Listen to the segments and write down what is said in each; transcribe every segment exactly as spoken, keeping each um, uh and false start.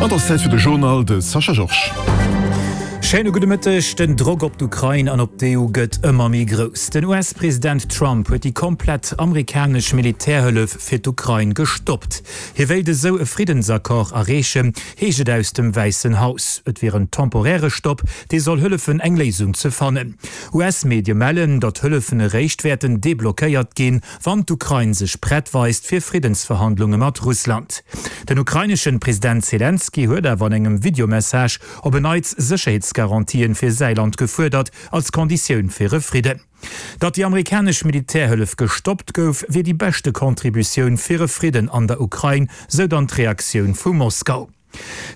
An et ass Zäit fir de Journal, de Sascha Georges. Schéine gudde Mëtteg. Den Drock op d'Ukrain an op d'EU gëtt ëmmer méi grouss. Den US-President Trump huet déi komplett amerikanesch Militärhëllef fir d'Ukrain gestoppt. Hie wéilt esou e Friddensaccord erreechen, heescht et aus dem Wäissen Haus. Et wier en temporäre Stopp, dee soll hëllefen, eng Léisung ze fannen. US-Medie mellen, datt Hëllefen eréischt wäerten deblockéiert ginn, wann d'Ukrain sech prett weist fir Friddensverhandlunge mat Russland. Den ukraineschen President Selenskyj huet awer an engem Videomessage op en Neits Sécherheetsgarantien fir säi Land gefuerdert, als Konditioun fir e Fridden. Datt déi amerikanesch Militärhëllef gestoppt gouf, wier déi beschte Contributioun fir e Fridden an der Ukrain, sou dann d'Reaktioun vu Moskau.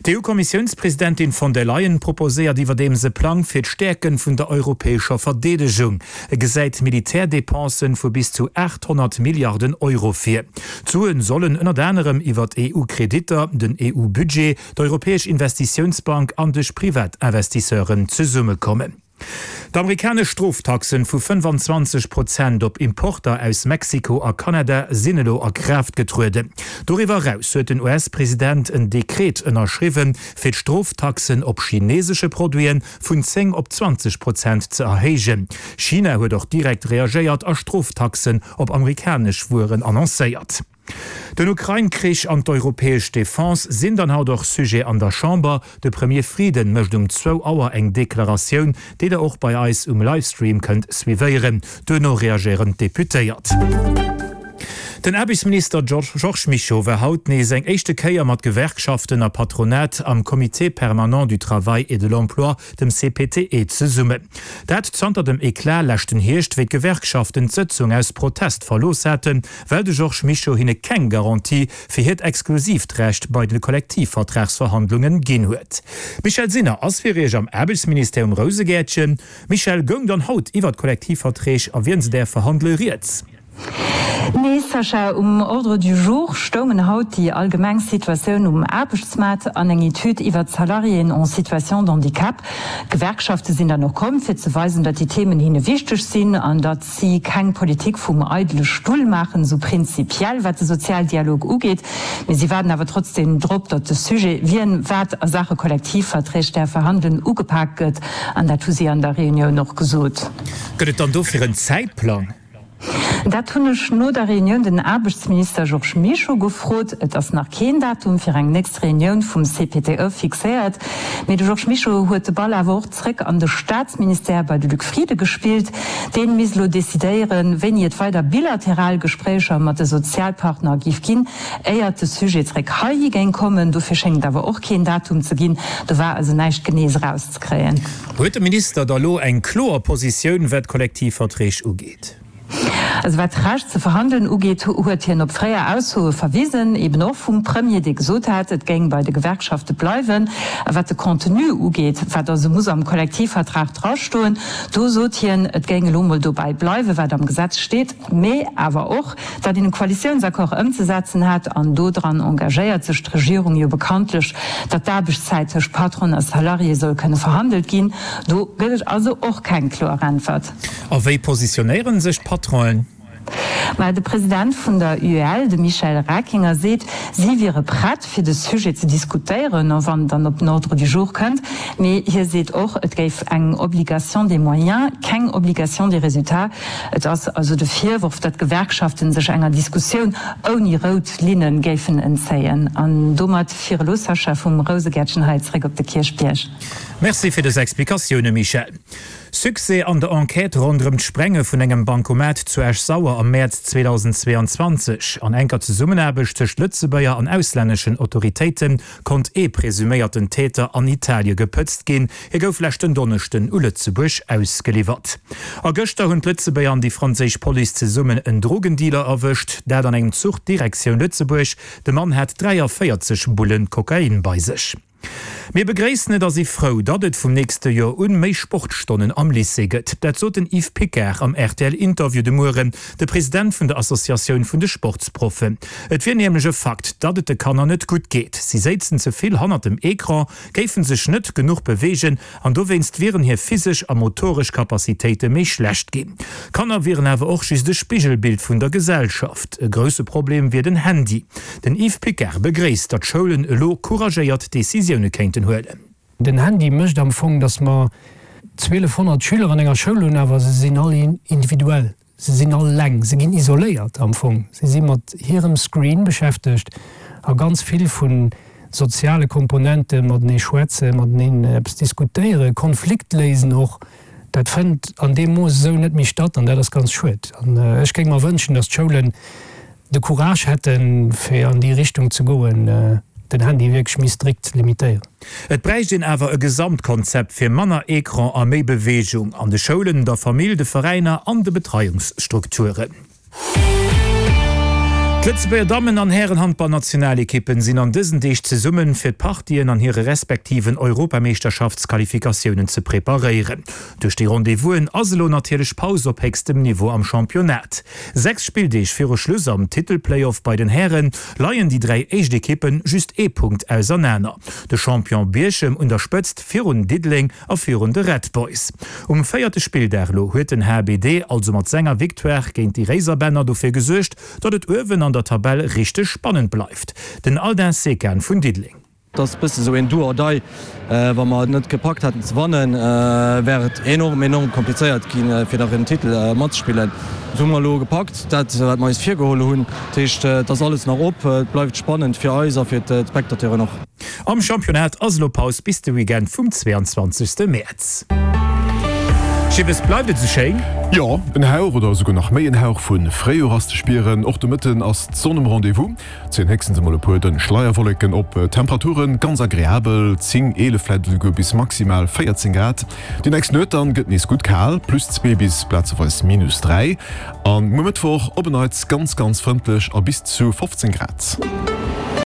D'EU-Kommissiounspresidentin von der Leyen proposéiert iwwerdeems e Plang fir d'Stäerke vun der europäescher Verdeedegung. E gesäit Militärdepensen vu bis zu aacht honnert Milliarden Euro vir. D'Suen sollen ënnert anerem iwwert E U-Kreditter, den E U-Budget, d'Europäesch Investitiounsbank an duerch privat Investisseuren zesummekommen. D'amerikanesch Stroftaxen vu fënnefanzwanzeg Prozent op Importer aus Mexiko a Kanada sinn elo a Kraaft getrueden. Doriwwer eraus huet den U S-President en Dekret ënnerschriwwen, fir d'Stroftaxen op chinesesche Produite vun zéng op zwanzeg Prozent ze erhéijen. China huet och direkt reagéiert a Stroftaxen op amerikanesch Wueren annoncéiert. Den Ukrain-Krich an d'europäesch Defense sinn dann haut och Sujet an der Chamber. De Premier Frieden mécht um zwou Auer eng Deklaratioun, déi der och bei eis um Livestream kënnt suivéieren. Duerno reagéieren d'Deputéiert. Den Aarbechtsminister Georges Mischo war haut nees eng éischte Kéier mat Gewerkschaften a Patronat am Comité permanent du travail et de l'emploi, dem C P T E, zesummen. Dat zanter dem Eclat leschten Hierscht, wéi d'Gewerkschaften d'Sëtzung aus Protest verlooss haten, well de Georges Mischo hinne keng Garantie fir hiert exklusiivt Recht bei de Kollektivvertragsverhandlungen ginn huet. D'Michèle Sinner ass fir Iech am Aarbechtsministère um Rousegäertchen. Michèle, goung dann haut iwwer d'Kollektivverträg a wien se däerf verhandele rieds? Nee Sascha, um Ordre du jour stoungen haut déi allgemeng Situatioun um Aarbechtsmaart an eng Etüd iwwer d'Salariéen en situation d'handicap. D'Gewerkschafte sinn dann och komm, fir ze weisen, datt déi Themen hinne wichteg sinn an datt si keng Politik vum eidele Stull maachen, esou prinzipiell wat de Sozialdialog ugeet. Mee si waarden awer trotzdeem drop, datt de Sujet, wien wat a Saache Kollektivverträg däerf verhandelen, ugepak gëtt an dat hu si an der Reunioun och gesot. Gëtt et dann dofir en Zäitplang? Dat hunn ech no der Reunioun den Aarbechtsminister Georges Mischo gefrot. Et ass nach keen Datum fir eng nächst Reunioun vum C P T E fixéiert, mee de Georges Mischo huet de Ball awer och zréck an de Staatsministère bei de Luc Frieden gespillt. Dee misst elo decidéieren, wéini et weider bilateral Gespréicher mat de Sozialpartner géif ginn, éiert de Sujet zréck heihi géing kommen. Dofir schéngt et awer och keen Datum ze ginn. Do war also näischt Genees erauszekréien. Huet de Minister da lo eng kloer Positioun, wat d'Kollektivverträg ugeet? Also wat d'Recht ze verhandelen ugeet, huet hien op fréier Aussoe verwisen, eben och vum Premier, dee gesot hat, et géing bei de Gewerkschafte bleiwen. A wat de Contenu ugeet, wat also muss am Kollektivvertrag drastoen, do sot hien, et géing elo mol dobäi bleiwen, wat am Gesetz steet, mee awer och, datt een e Koalitiounsaccord ëmzesetzen hätt. An dodran engagéiert sech d'Regierung jo bekanntlech, datt d'Aarbechtszäit tëscht Patron a Salarié soll kënne verhandelt ginn. Do gëtt et also och keng kloer Äntwert. A wéi positionéiere sech d'Patronen? Mä de President vun der U E L, de Michel Reckinger, seet, si wiere prett, fir de Sujet ze diskutéieren, wann en dann op den Ordre du jour kënnt. Mee hie seet och, et géif eng Obligation des moyens, keng Obligation des résultats. Et ass also de Virworf, datt d'Gewerkschaften sech enger Diskussioun ouni rout Linne géifen entzéien. An domat fir elo, Sascha, vum Rousegäertchen hei zréck op de Kierchbierg. Merci fir dës Explikatioune, Michèle. Succès an der Enquête ronderëm d'Sprenge vun engem Bankomat zu Esch-Sauer am Mäerz zweedausenzweeanzwanzeg. An enker Zesummenaarbecht tëscht Lëtzebuerger an auslänneschen Autoritéite konnt ee presuméierten Täter an Italie gepëtzt ginn. Hie gouf leschten Donneschden u Lëtzebuerg ausgeliwwert. A gëschter hunn d'Lëtzebuerger an déi franséisch Police zesummen en Drogendealer erwëscht, dat an engem Zuch Direktioun Lëtzebuerg. De Mann hat dräiavéierzeg Bullen Kokain bei sech. Mir begréissen et a si frou, datt et vum nächste Joer un méi Sportstonnen am Lycée gëtt. Dat sot den Yves Picard am RTL-Interview de Mueren, de President vun der Associatioun vun de Sportsproffen. Et wier nämlech e Fakt, datt et de Kanner net gutt geet. Si séizen ze vill hannert dem Ecran, géife sech net genuch beweegen an dowéinst wieren hir physesch a motoresch Capacitéite méi schlecht ginn. Kanner wieren awer och just e Spigelbild vun der Gesellschaft. E grousse Problem wier den Handy. Den Yves Picard begréisst, datt d'Schoulen elo couragéiert Decisioune kéinten huelen. Den Handy mécht am Fong, datt mer zwielefhonnert Schüler an enger Schoul hunn, awer se sinn all individuell, se sinn all eleng, se ginn isoléiert am Fong, se si mat hirem Screen beschäftegt a ganz vill vu soziale Komponenten, matenee schwätzen, mateneen eppes diskutéieren, Konflikt léisen och, dat fënnt an deem Mooss esou net méi statt an dat ass ganz schued. An ech géing mer wënschen, datt d'Schoulen de Courage hätten, fir an déi Richtung ze goen, den Handy wierklech méi strikt ze limitéieren. Et bräicht een awer e Gesamtkonzept fir manner Ecran a méi Beweegung an de Schoulen, der Famill, de Veräiner an de Betreiungsstrukturen. D'Lëtzebuerger Dammen an Hären-Handballnationalekippen sinn an dësen Deeg zesummen, fir d'Partien an hire respektiven Europameeschterschaftsqualifikatiounen ze preparéieren. Duerch déi Rendez-vousen ass elo natierlech Paus op héchstem Niveau am Championnat. Sechs Spilldeeg viru Schluss am Titel-Playoff bei den Häre leien déi dräi éischt Ekippe just ee Punkt ausernaner. De Champion Bierchem un der Spëtzt virun Diddeleng a virun de Red Boys. Um véierte Spilldag elo huet den H B D also mat senger Victoire géint déi Réiserbänner dofir gesuergt, datt et uewen an der Tabell richteg spannend bleift. Den Aldin Sekan vun Diddeleng. Et ass bësse sou een Do or Die. Wa mer et net gepackt hätten ze wannen, wär et enorm, enorm komplizéiert ginn, fir nach ëm den Titel matzespillen. Dat hu mer elo gepackt, dat wat mer eis virgeholl hunn. Dat heescht, et ass alles nach op, et bleift spannend fir eis a fir d'Spectateuren och. Am Championnat ass elo Paus bis de Weekend vum zweeanzwanzegste Mäerz. Schibbes, bleift et esou schéin? Jo, en Hauch oder esouguer nach méi en Hauch vu Fréijoer ass ze spieren. Och de Mëtten ass d'Sonn um Rendez-vous, zéien héchstens emol e puer dënn Schleierwolleken op. Temperature ganz agreabel, zéng, eelef, vläit esouguer bis maximal véierzéng Grad. Déi nächst Nuet dann gëtt nees gutt kal, plus zwee bis plazeweis minus dräi. An muer Mëttwoch op en Neits ganz, ganz frëndlech a bis zu fofzéng Grad.